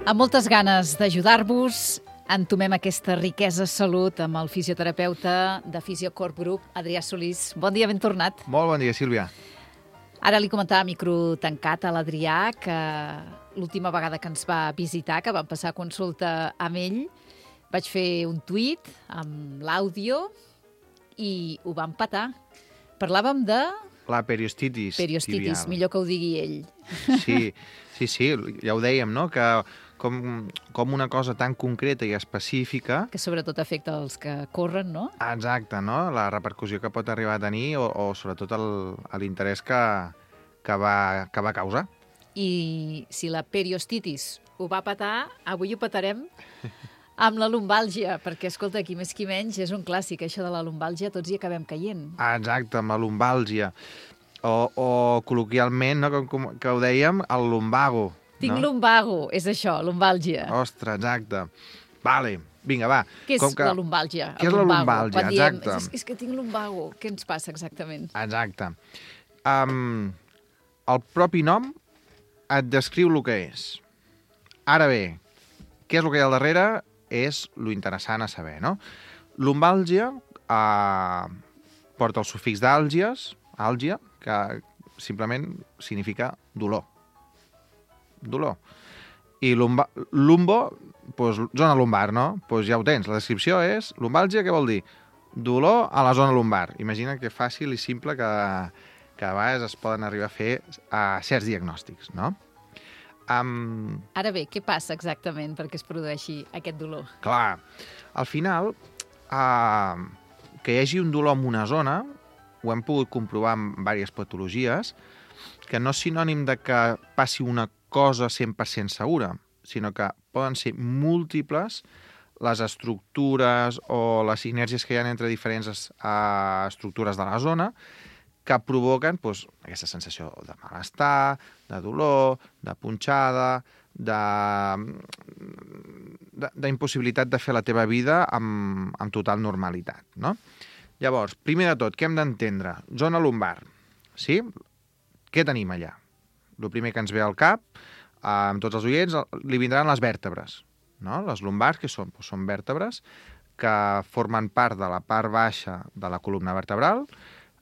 Amb moltes ganes d'ajudar-vos, entomem aquesta riquesa salut amb el fisioterapeuta de Fisiocorp Group, Adrià Solís. Bon dia, ben tornat. Molt bon dia, Sílvia. Ara li comentava a micro tancat a l'Adrià que l'última vegada que ens va visitar, que vam passar consulta amb ell, vaig fer un tuit amb l'àudio i ho vam petar. Parlàvem de... La periostitis Periostitis, tibial. millor que ho digui ell. Sí, ja ho dèiem, no?, que com una cosa tan concreta i específica... Que sobretot afecta els que corren, no? Exacte, no?, la repercussió que pot arribar a tenir o sobretot l'interès que va causar. I si la periostitis ho va petar, avui ho petarem amb la lumbàlgia, perquè, escolta, qui més qui menys, és un clàssic, això de la lumbàlgia, tots hi acabem caient. Exacte, amb la lumbàlgia. O col·loquialment, no, que ho dèiem, el lumbago. Tinc no? lumbago, és això, lumbàlgia. Ostres, exacte. Vale, vinga, va. Què és la lumbàlgia? Què és la lumbàlgia? Quan diem, exacte. és que tinc lumbago, què ens passa exactament? Exacte. El propi nom et descriu el que és. Ara bé, què és el que hi ha al darrere? És lo interessant a saber, no? Lumbàlgia porta el sufix d'àlgies, àlgia, que simplement significa dolor. Dolor. I lumbo, doncs, zona lumbar, no? Doncs ja ho tens. La descripció és lumbàlgia, què vol dir? Dolor a la zona lumbar. Imagina que fàcil i simple que a vegades es poden arribar a fer certs diagnòstics, no? Ara bé, què passa exactament perquè es produeixi aquest dolor? Clar, al final, que hi hagi un dolor en una zona, ho hem pogut comprovar amb diverses patologies, que no és sinònim de que passi una cosa 100% segura, sinó que poden ser múltiples les estructures o les sinergies que hi ha entre diferents estructures de la zona que provoquen doncs, aquesta sensació de malestar, de dolor, de punxada, d'impossibilitat de fer la teva vida amb total normalitat, no? Llavors, primer de tot, què hem d'entendre? Zona lumbar, sí? Què tenim allà? El primer que ens ve al cap, amb tots els oients, li vindran les vèrtebres, no? Les lumbars, que són? Doncs són vèrtebres que formen part de la part baixa de la columna vertebral,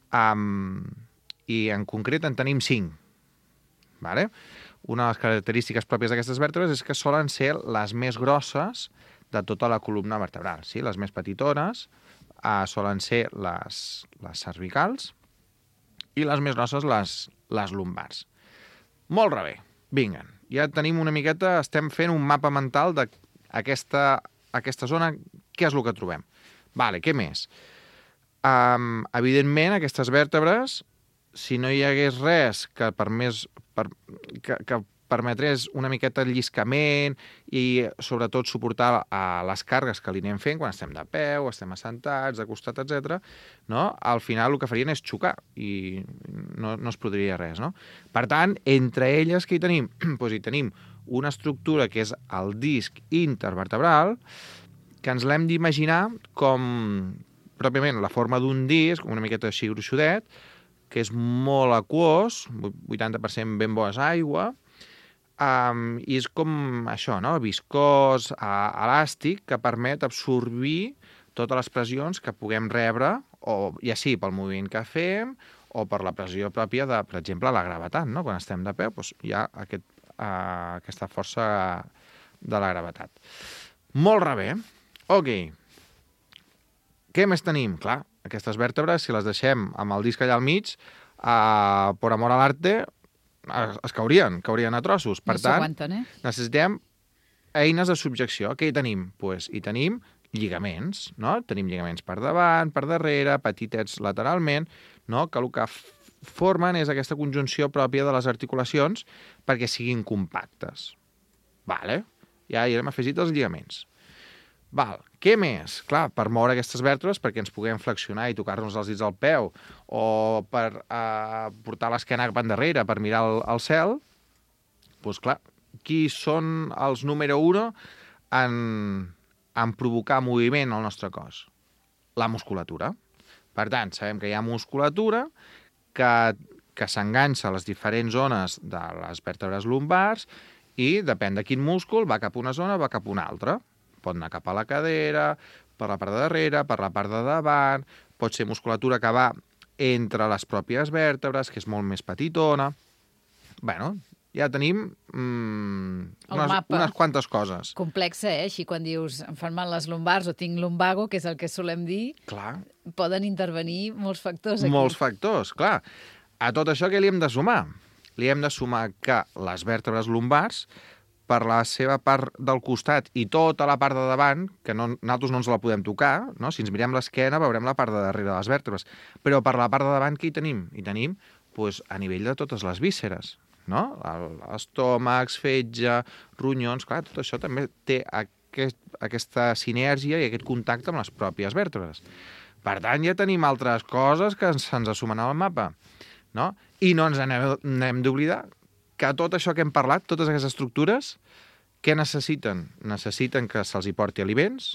i en concret en tenim 5. Vale? Una de les característiques pròpies d'aquestes vèrtebres és que solen ser les més grosses de tota la columna vertebral. Sí? Les més petitones solen ser les cervicals i les més grosses les lumbars. Molt bé, vinguen. Ja tenim una miqueta, estem fent un mapa mental d'aquesta zona, què és el que trobem. Vale, què més? Evidentment, aquestes vèrtebres, si no hi hagués res que permetés una miqueta el lliscament i sobretot suportar les càrregues que li anem fent quan estem de peu, estem assentats, de costat, etc., no? Al final el que farien és xocar i no es produiria res, no? Per tant, entre elles què hi tenim? Doncs hi tenim una estructura que és el disc intervertebral, que ens l'hem d'imaginar com pròpiament la forma d'un disc, una miqueta així gruixudet, que és molt aquós, 80% ben bo és aigua, i és com això, no? Viscós, elàstic, que permet absorbir totes les pressions que puguem rebre, o ja sigui pel moviment que fem, o per la pressió pròpia de, per exemple, la gravetat, no? Quan estem de peu, doncs hi ha aquesta força de la gravetat. Molt bé. Ok. Què més tenim? Clar, aquestes vèrtebres, si les deixem amb el disc allà al mig, per amor a l'arte, es caurien a trossos. Per tant, necessitem eines de subjecció. Què hi tenim? Doncs hi tenim lligaments, no? Tenim lligaments per davant, per darrere, petitets lateralment, no? Que el que formen és aquesta conjunció pròpia de les articulacions perquè siguin compactes. Vale? Ja hi hem afegit els lligaments. Val. Què més? Clar, per moure aquestes vèrtebres perquè ens puguem flexionar i tocar-nos els dits al peu o per portar l'esquena cap endarrere per mirar el cel, doncs clar, qui són els número 1 en provocar moviment al nostre cos? La musculatura. Per tant, sabem que hi ha musculatura que s'enganxa a les diferents zones de les vèrtebres lumbars I depèn de quin múscul, va cap a una zona, va cap a una altra. Pot anar cap a la cadera, per la part de darrere, per la part de davant, pot ser musculatura que va entre les pròpies vèrtebres, que és molt més petitona. Bueno, ja tenim unes quantes coses. Complexa, Així quan dius em fan mal les lumbars o tinc lumbago, que és el que solem dir, Clar. Poden intervenir molts factors aquí. Molts factors, clar. A tot això què li hem de sumar? Li hem de sumar que les vèrtebres lumbars, per la seva part del costat i tota la part de davant, que nosaltres no ens la podem tocar, no? Si ens mirem l'esquena veurem la part de darrere de les vèrtebres, però per la part de davant què hi tenim? Hi tenim a nivell de totes les vísceres, no? Estómacs, fetge, ronyons, clar, tot això també té aquesta sinergia i aquest contacte amb les pròpies vèrtebres. Per tant, ja tenim altres coses que se'ns sumen al mapa, no? I no ens n'hem d'oblidar que tot això que hem parlat, totes aquestes estructures, què necessiten? Necessiten que se'ls hi porti aliments,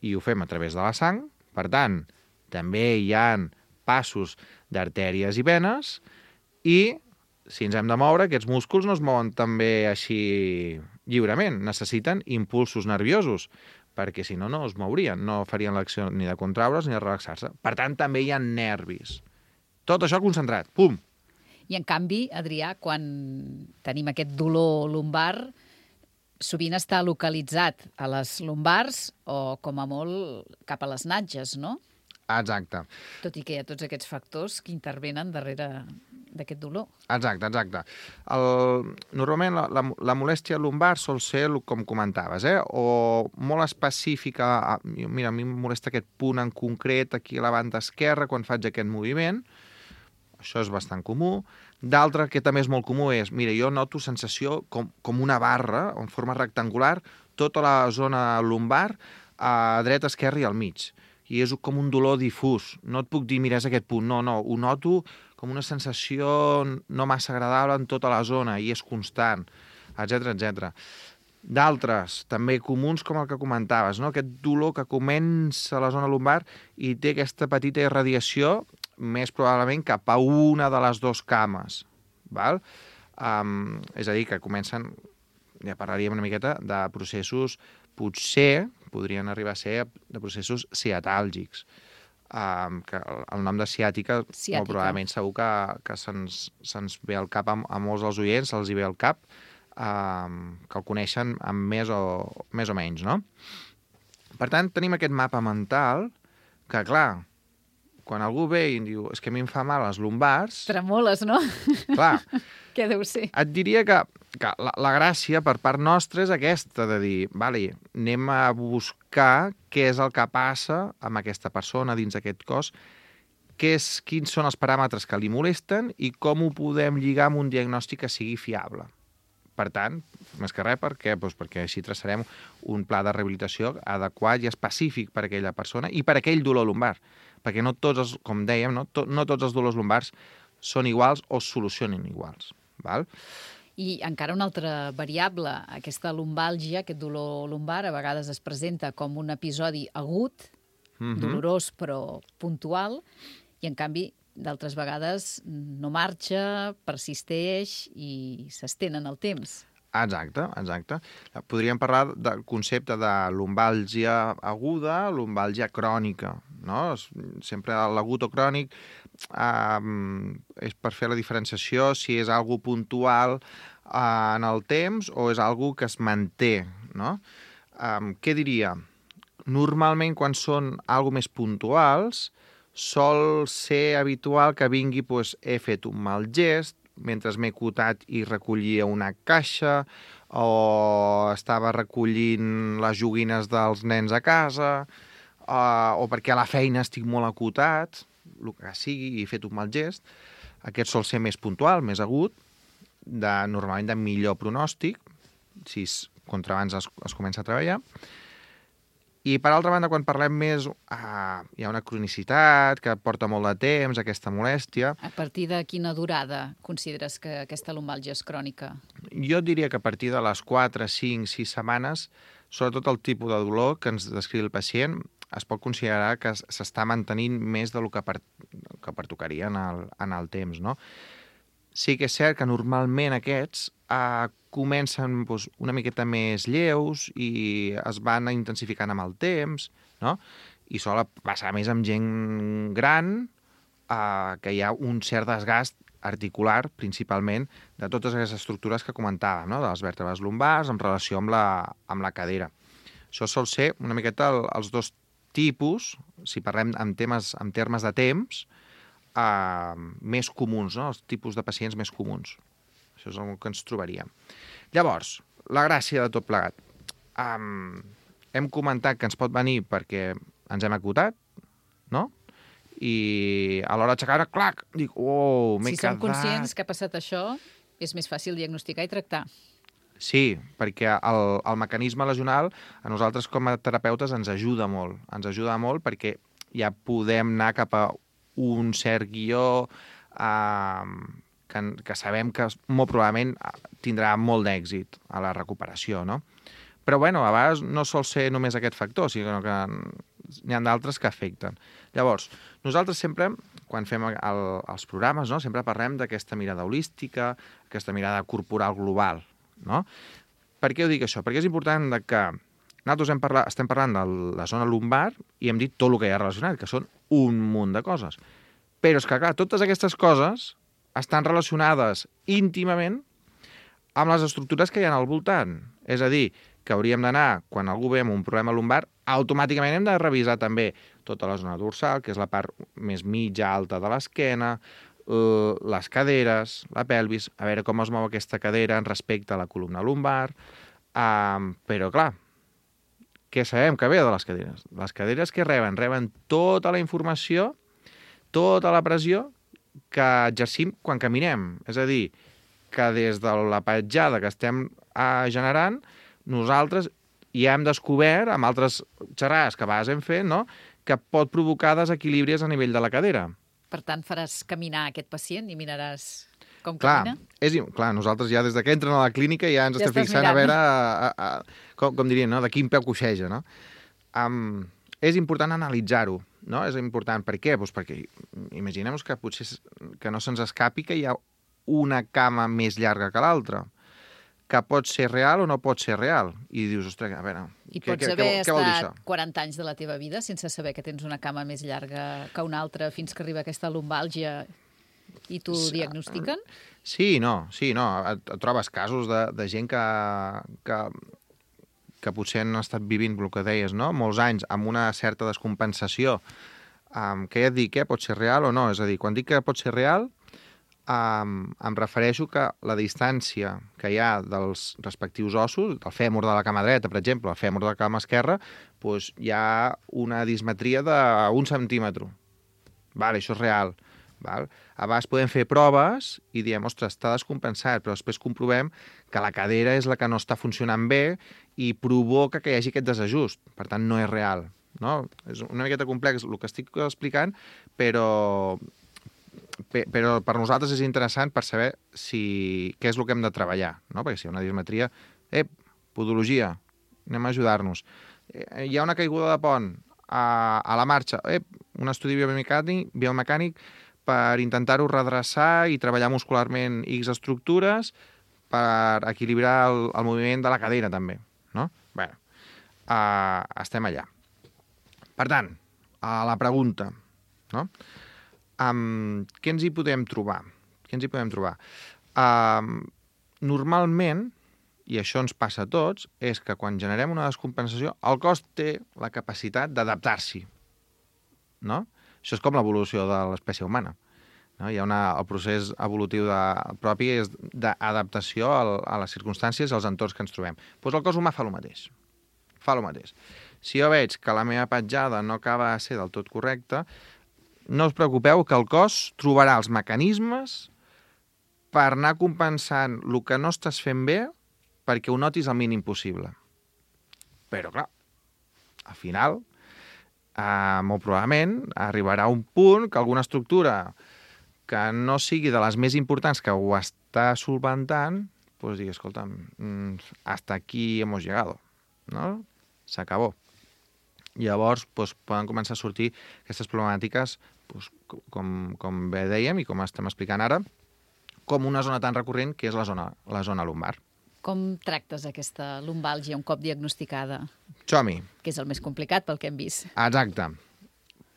i ho fem a través de la sang. Per tant, també hi ha passos d'artèries i venes, i si ens hem de moure, aquests músculs no es mouen també així lliurement. Necessiten impulsos nerviosos, perquè si no, no es mourien, no farien l'acció ni de contraure's ni de relaxar-se. Per tant, també hi ha nervis. Tot això concentrat, pum! I, en canvi, Adrià, quan tenim aquest dolor lumbar, sovint està localitzat a les lumbars o, com a molt, cap a les natges, no? Exacte. Tot i que hi ha tots aquests factors que intervenen darrere d'aquest dolor. Exacte. Normalment la molèstia lumbar sol ser, com comentaves, o molt específica. Mira, a mi em molesta aquest punt en concret aquí a la banda esquerra quan faig aquest moviment. Això és bastant comú. D'altre, que també és molt comú, és, mira, jo noto sensació com una barra, en forma rectangular, tota la zona lumbar, a dreta, esquerra i al mig. I és com un dolor difús. No et puc dir, mira, és aquest punt. No, ho noto com una sensació no massa agradable en tota la zona, i és constant, etc. D'altres, també comuns, com el que comentaves, no? Aquest dolor que comença a la zona lumbar i té aquesta petita irradiació, més probablement cap a una de les dues cames. Val? És a dir, que comencen, ja parlaríem una miqueta, de processos, potser podrien arribar a ser de processos ciatàlgics. Que el nom de ciàtica, molt probablement segur que se'ns ve al cap a molts dels oients, se'ls hi ve al cap, que el coneixen amb més o menys, no? Per tant, tenim aquest mapa mental que, clar, quan algú ve i diu, és que a mi em fa mal les lumbars... Tremoles, no? Clar. Què deu ser? Et diria que la gràcia per part nostra és aquesta, de dir, vale, anem a buscar què és el que passa amb aquesta persona dins aquest cos, quins són els paràmetres que li molesten i com ho podem lligar amb un diagnòstic que sigui fiable. Per tant, més que res, per què? Doncs perquè així traçarem un pla de rehabilitació adequat i específic per a aquella persona i per a aquell dolor lumbar. Perquè no tots, com dèiem, no tots els dolors lumbars són iguals o es solucionen iguals. Val? I encara una altra variable, aquesta lumbàlgia, aquest dolor lumbar, a vegades es presenta com un episodi agut, dolorós però puntual, i en canvi d'altres vegades no marxa, persisteix i s'estén en el temps. Exacte. Podríem parlar del concepte de lumbàlgia aguda, lumbàlgia crònica, no? Sempre l'agut o crònic és per fer la diferenciació si és algo puntual en el temps o és algo que es manté, no? Què diria? Normalment, quan són algo més puntuals, sol ser habitual que vingui, doncs, he fet un mal gest, mentre m'he cotat i recollia una caixa, o estava recollint les joguines dels nens a casa, o perquè a la feina estic molt acotat, el que sigui, i he fet un mal gest. Aquest sol ser més puntual, més agut, normalment de millor pronòstic, si contra abans es comença a treballar. I, per altra banda, quan parlem més, hi ha una cronicitat que porta molt de temps, aquesta molèstia. A partir de quina durada consideres que aquesta lumbàlgia és crònica? Jo diria que a partir de les 4, 5, 6 setmanes, sobretot el tipus de dolor que ens descriu el pacient, es pot considerar que s'està mantenint més del que pertocaria en el temps, no? sí que és cert que normalment aquests comencen una miqueta més lleus i es van intensificant amb el temps, no? I sol passar més amb gent gran, que hi ha un cert desgast articular, principalment, de totes aquestes estructures que comentàvem, no? De les vèrtebres lumbars en relació amb la cadera. Això sol ser una miqueta els dos tipus, si parlem en termes de temps, més comuns, no? Els tipus de pacients més comuns. Això és el que ens trobaríem. Llavors, la gràcia de tot plegat. Hem comentat que ens pot venir perquè ens hem acotat, no? I a l'hora d'aixecar, clac, dic, m'he quedat... Si som conscients que ha passat això, és més fàcil diagnosticar i tractar. Sí, perquè el mecanisme lesional a nosaltres com a terapeutes ens ajuda molt. Ens ajuda molt perquè ja podem anar cap a un cert guió que sabem que molt probablement tindrà molt d'èxit a la recuperació, no? Però, bueno, a vegades no sol ser només aquest factor, sinó que n'hi ha d'altres que afecten. Llavors, nosaltres sempre, quan fem els programes, no, sempre parlem d'aquesta mirada holística, aquesta mirada corporal global, no? Per què ho dic això? Perquè és important que nosaltres estem parlant de la zona lumbar i hem dit tot el que hi ha relacionat, que són un munt de coses. Però és que, clar, totes aquestes coses estan relacionades íntimament amb les estructures que hi ha al voltant. És a dir, que hauríem d'anar, quan algú ve amb un problema lumbar, automàticament hem de revisar també tota la zona dorsal, que és la part més mitja alta de l'esquena, les caderes, la pelvis, a veure com es mou aquesta cadera respecte a la columna lumbar. Però, clar, què sabem que ve de les caderes? Les caderes que reben? Reben tota la informació, tota la pressió que exercim quan caminem. És a dir, que des de la petjada que estem generant, nosaltres ja hem descobert, amb altres xerrades que a vegades hem fet, no?, que pot provocar desequilibris a nivell de la cadera. Per tant, faràs caminar aquest pacient i miraràs com camina? Clar, nosaltres ja des que entren a la clínica ja ens estem fixant mirant. A veure, com diríem, no?, de quin peu coixeja, no? És important analitzar-ho, no? És important. Per què? Doncs perquè imaginem-nos que potser que no se'ns escapi que hi ha una cama més llarga que l'altra, que pot ser real o no pot ser real. I dius, ostres, a veure, I pots haver estat 40 anys de la teva vida sense saber que tens una cama més llarga que una altra fins que arriba aquesta lumbàlgia i t'ho diagnostiquen? Sí, no. Et trobes casos de gent que potser han estat vivint, el que deies, no?, molts anys amb una certa descompensació, que ja et dic, pot ser real o no? És a dir, quan dic que pot ser real, em refereixo que la distància que hi ha dels respectius ossos, del fèmur de la cama dreta, per exemple, el fèmur de la cama esquerra, doncs hi ha una dismetria d'1 centímetre. Vale, això és real. Val? A vegades podem fer proves i diem, ostres, està descompensat, però després comprovem que la cadera és la que no està funcionant bé i provoca que hi hagi aquest desajust. Per tant, no és real. No? És una miqueta complex el que estic explicant, però per nosaltres és interessant per saber què és el que hem de treballar, no? Perquè si hi ha una dismetria, podologia, anem a ajudar-nos. Hi ha una caiguda de pont a la marxa, un estudi biomecànic per intentar-ho redreçar i treballar muscularment X estructures per equilibrar el moviment de la cadera també, no? Bé, estem allà. Per tant, a la pregunta, no? Què ens hi podem trobar? Normalment, i això ens passa a tots, és que quan generem una descompensació, el cos té la capacitat d'adaptar-s'hi, no? Això és com l'evolució de l'espècie humana. No? Hi ha el procés evolutiu propi és d'adaptació a les circumstàncies i als entorns que ens trobem. Doncs el cos humà fa el mateix. Si jo veig que la meva petjada no acaba de ser del tot correcta, no us preocupeu que el cos trobarà els mecanismes per anar compensant el que no estàs fent bé perquè ho notis el mínim possible. Però, clar, al final, molt probablement, arribarà un punt que alguna estructura que no sigui de les més importants que ho està solventant, doncs digui, escolta, hasta aquí hemos llegado, ¿no? S'acabó. Llavors, poden començar a sortir aquestes problemàtiques, com bé dèiem i com estem explicant ara, com una zona tan recurrent que és la zona lumbar. Com tractes aquesta lumbàlgia un cop diagnosticada? Som-hi. Que és el més complicat pel que hem vist. Exacte.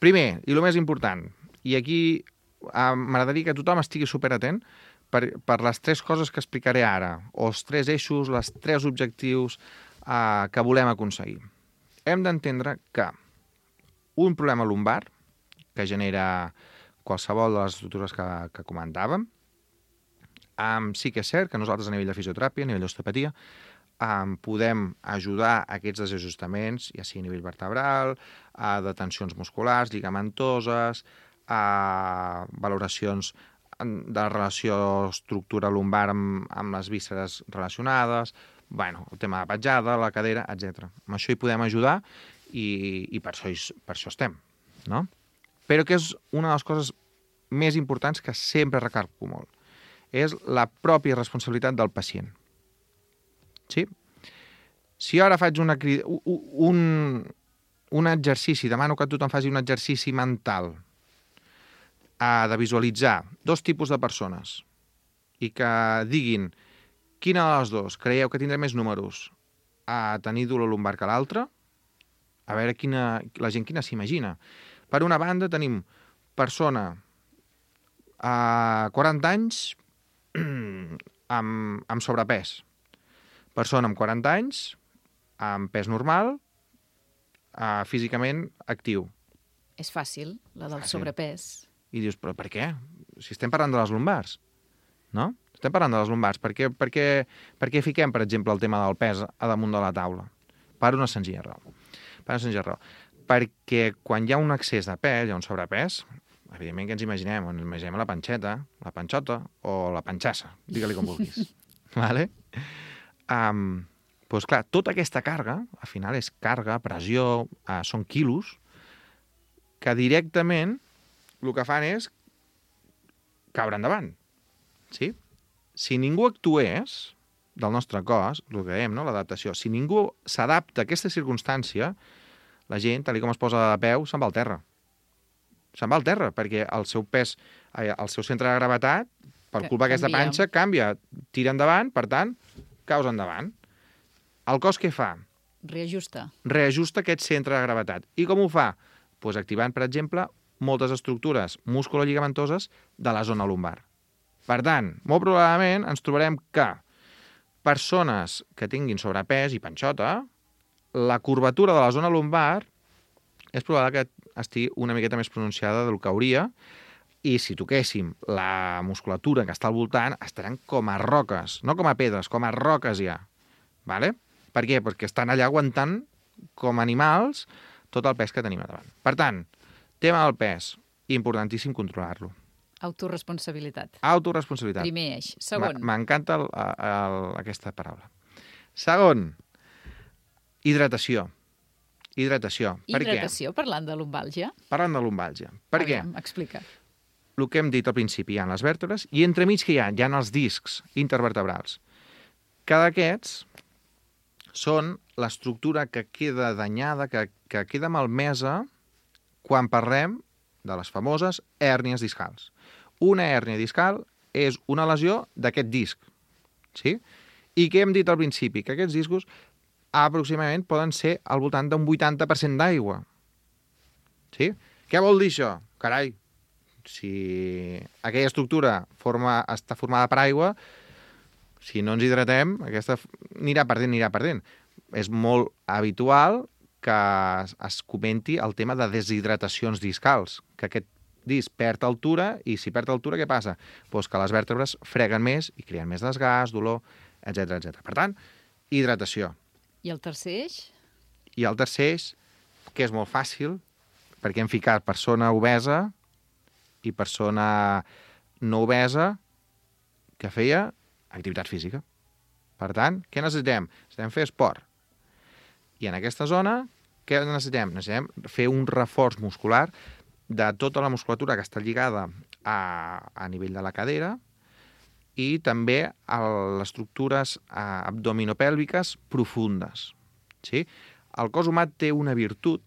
Primer, i el més important, i aquí m'agradaria que tothom estigui superatent per les 3 coses que explicaré ara, o els 3 eixos, les 3 objectius que volem aconseguir. Hem d'entendre que un problema lumbar, que genera qualsevol de les estructures que comentàvem, sí que és cert que nosaltres a nivell de fisioteràpia, a nivell d'osteopatia, podem ajudar a aquests desajustaments, ja sigui a nivell vertebral, de tensions musculars, lligamentoses, valoracions de la relació estructura lumbar amb les vísceres relacionades, el tema de la petjada, la cadera, etc. Amb això hi podem ajudar i per això estem, no? Però que és una de les coses més importants que sempre recalco molt. És la pròpia responsabilitat del pacient. Sí? Si ara faig un exercici, demano que tothom faci un exercici mental de visualitzar 2 tipus de persones i que diguin quina de les 2 creieu que tindrà més números a tenir dolor lumbar que l'altra, a veure la gent quina s'imagina. Per una banda tenim persona a 40 anys amb sobrepès, persona amb 40 anys amb pes normal, físicament actiu. És fàcil, la del sobrepès. I dius, però per què? Si estem parlant de les lumbars, no? Estem parlant de les lumbars. Per què fiquem, per exemple, el tema del pes a damunt de la taula? Per una senzilla raó. Perquè quan hi ha un excés de pes, hi ha un sobrepès, evidentment que ens imaginem la panxeta, la panxota o la panxassa, digue-li com vulguis. Vale? Doncs clar, tota aquesta càrrega, al final és càrrega, pressió, són quilos, que directament el que fan és caure endavant. Sí? Si ningú actués del nostre cos, el que dèiem, no? L'adaptació, si ningú s'adapta a aquesta circumstància, la gent, tal com es posa de peu, se'n va al terra. Se'n va al terra, perquè el seu pes, el seu centre de gravetat, per culpa d'aquesta panxa, canvia, tira endavant, per tant, caus endavant. El cos què fa? Reajusta. Reajusta aquest centre de gravetat. I com ho fa? Doncs activant, per exemple, moltes estructures musculolligamentoses de la zona lumbar. Per tant, molt probablement ens trobarem que persones que tinguin sobrepès i panxota, la curvatura de la zona lumbar és probable que estigui una miqueta més pronunciada del que hauria, i si toquéssim la musculatura que està al voltant, estaran com a roques, no com a pedres, com a roques ja. Vale? Per què? Perquè estan allà aguantant com animals tot el pes que tenim a davant. Per tant, tema del pes, importantíssim controlar-lo. Autoresponsabilitat. Autoresponsabilitat. Primer eix. Segon. M'encanta aquesta paraula. Segon, hidratació. Hidratació. Per què? Hidratació, parlant de lumbàlgia? Parlant de lumbàlgia. Per què? Explica. El que hem dit al principi, hi ha les vèrtebres, i entremig que hi ha els discs intervertebrals. Cada d'aquests són l'estructura que queda danyada, que queda malmesa quan parlem de les famoses hèrnies discals. Una hèrnia discal és una lesió d'aquest disc. Sí? I què hem dit al principi? Que aquests discos aproximadament poden ser al voltant d'un 80% d'aigua. Sí? Què vol dir això? Carai, si aquella estructura està formada per aigua, si no ens hidratem, aquesta anirà perdent. És molt habitual que es comenti el tema de deshidratacions discals, que aquest disc perd altura, i si perd altura, què passa? Doncs que les vèrtebres freguen més i creen més desgast, dolor, etc. Per tant, hidratació. I el tercer eix? I el tercer eix, que és molt fàcil, perquè hem ficat persona obesa i persona no obesa que feia activitat física. Per tant, què necessitem? Necessitem fer esport. I en aquesta zona, què necessitem? Necessitem fer un reforç muscular de tota la musculatura que està lligada a nivell de la cadera i també a les estructures abdominopèlviques profundes. Sí? El cos humà té una virtut,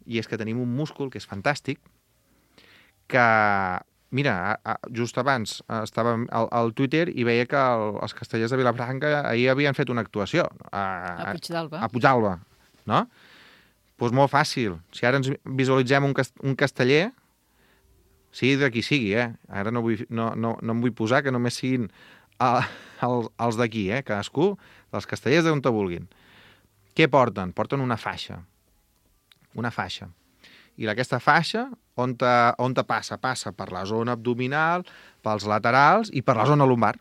i és que tenim un múscul que és fantàstic, que Mira, just abans estava al Twitter i veia que els castellers de Vilafranca ahir havien fet una actuació A Puigdàlber. a Puigdàlber, no? Doncs molt fàcil. Si ara ens visualitzem un casteller, sigui de qui sigui, Ara no em vull posar que només siguin els d'aquí, cadascú dels castellers d'on te vulguin. Què porten? Porten una faixa. Una faixa. I aquesta faixa, on te passa? Passa per la zona abdominal, pels laterals i per la zona lumbar.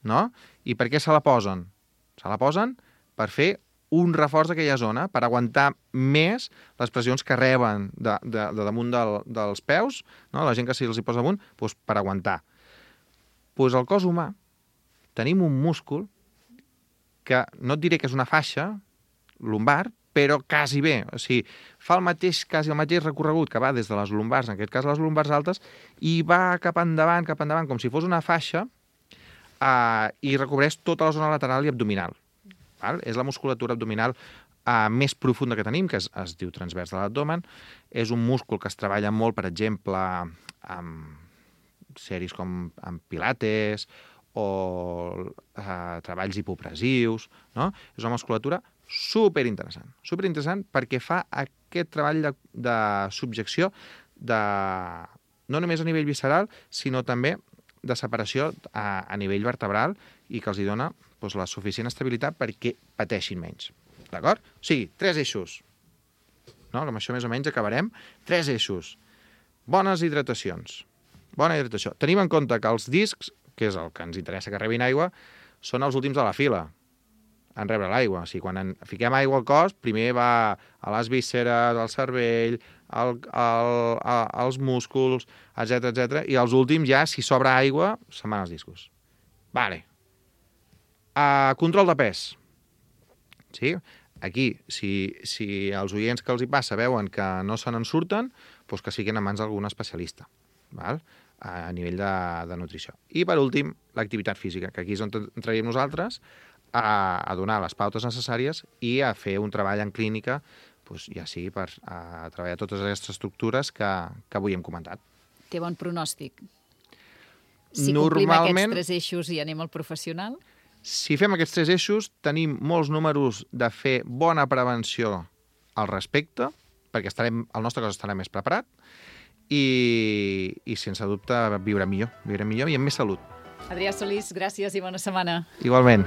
No? I per què se la posen? Se la posen per fer un reforç d'aquella zona, per aguantar més les pressions que reben de damunt dels peus, no? La gent que se'ls hi posa damunt, doncs per aguantar. Doncs al cos humà tenim un múscul que no et diré que és una faixa lumbar, però quasi bé. O sigui, fa el mateix recorregut que va des de les lumbars, en aquest cas les lumbars altes, i va cap endavant, com si fos una faixa, i recobreix tota la zona lateral i abdominal. Val? És la musculatura abdominal més profunda que tenim, que es diu transvers de l'abdomen. És un múscul que es treballa molt, per exemple, amb sèries com amb pilates o treballs hipopressius, no? És una musculatura superinteressant perquè fa aquest treball de subjecció no només a nivell visceral, sinó també de separació a nivell vertebral i que els hi dona la suficient estabilitat perquè pateixin menys. D'acord? O sigui, 3 eixos. No? Amb això més o menys acabarem. 3 eixos. Bones hidratacions. Bona hidratació. Tenim en compte que els discs, que és el que ens interessa que rebin aigua, són els últims de la fila en rebre l'aigua. O sigui, quan fiquem aigua al cos, primer va a les vísceres, al cervell, als músculs, etc. I els últims ja, si sobra aigua, se'n van als discos. Vale. Control de pes. Sí? Aquí, si els oients que els hi passa veuen que no se n'en surten, doncs que siguin a mans d'algun especialista, val? A nivell de nutrició. I, per últim, l'activitat física, que aquí és on entraríem nosaltres, a donar les pautes necessàries i a fer un treball en clínica, doncs, ja sigui per treballar totes aquestes estructures que avui hem comentat. Té bon pronòstic. Si complim aquests 3 eixos i anem al professional... Si fem aquests 3 eixos, tenim molts números de fer bona prevenció al respecte, perquè el nostre cos estarà més preparat i sense dubte viure millor i amb més salut. Adrià Solís, gràcies i bona setmana. Igualment.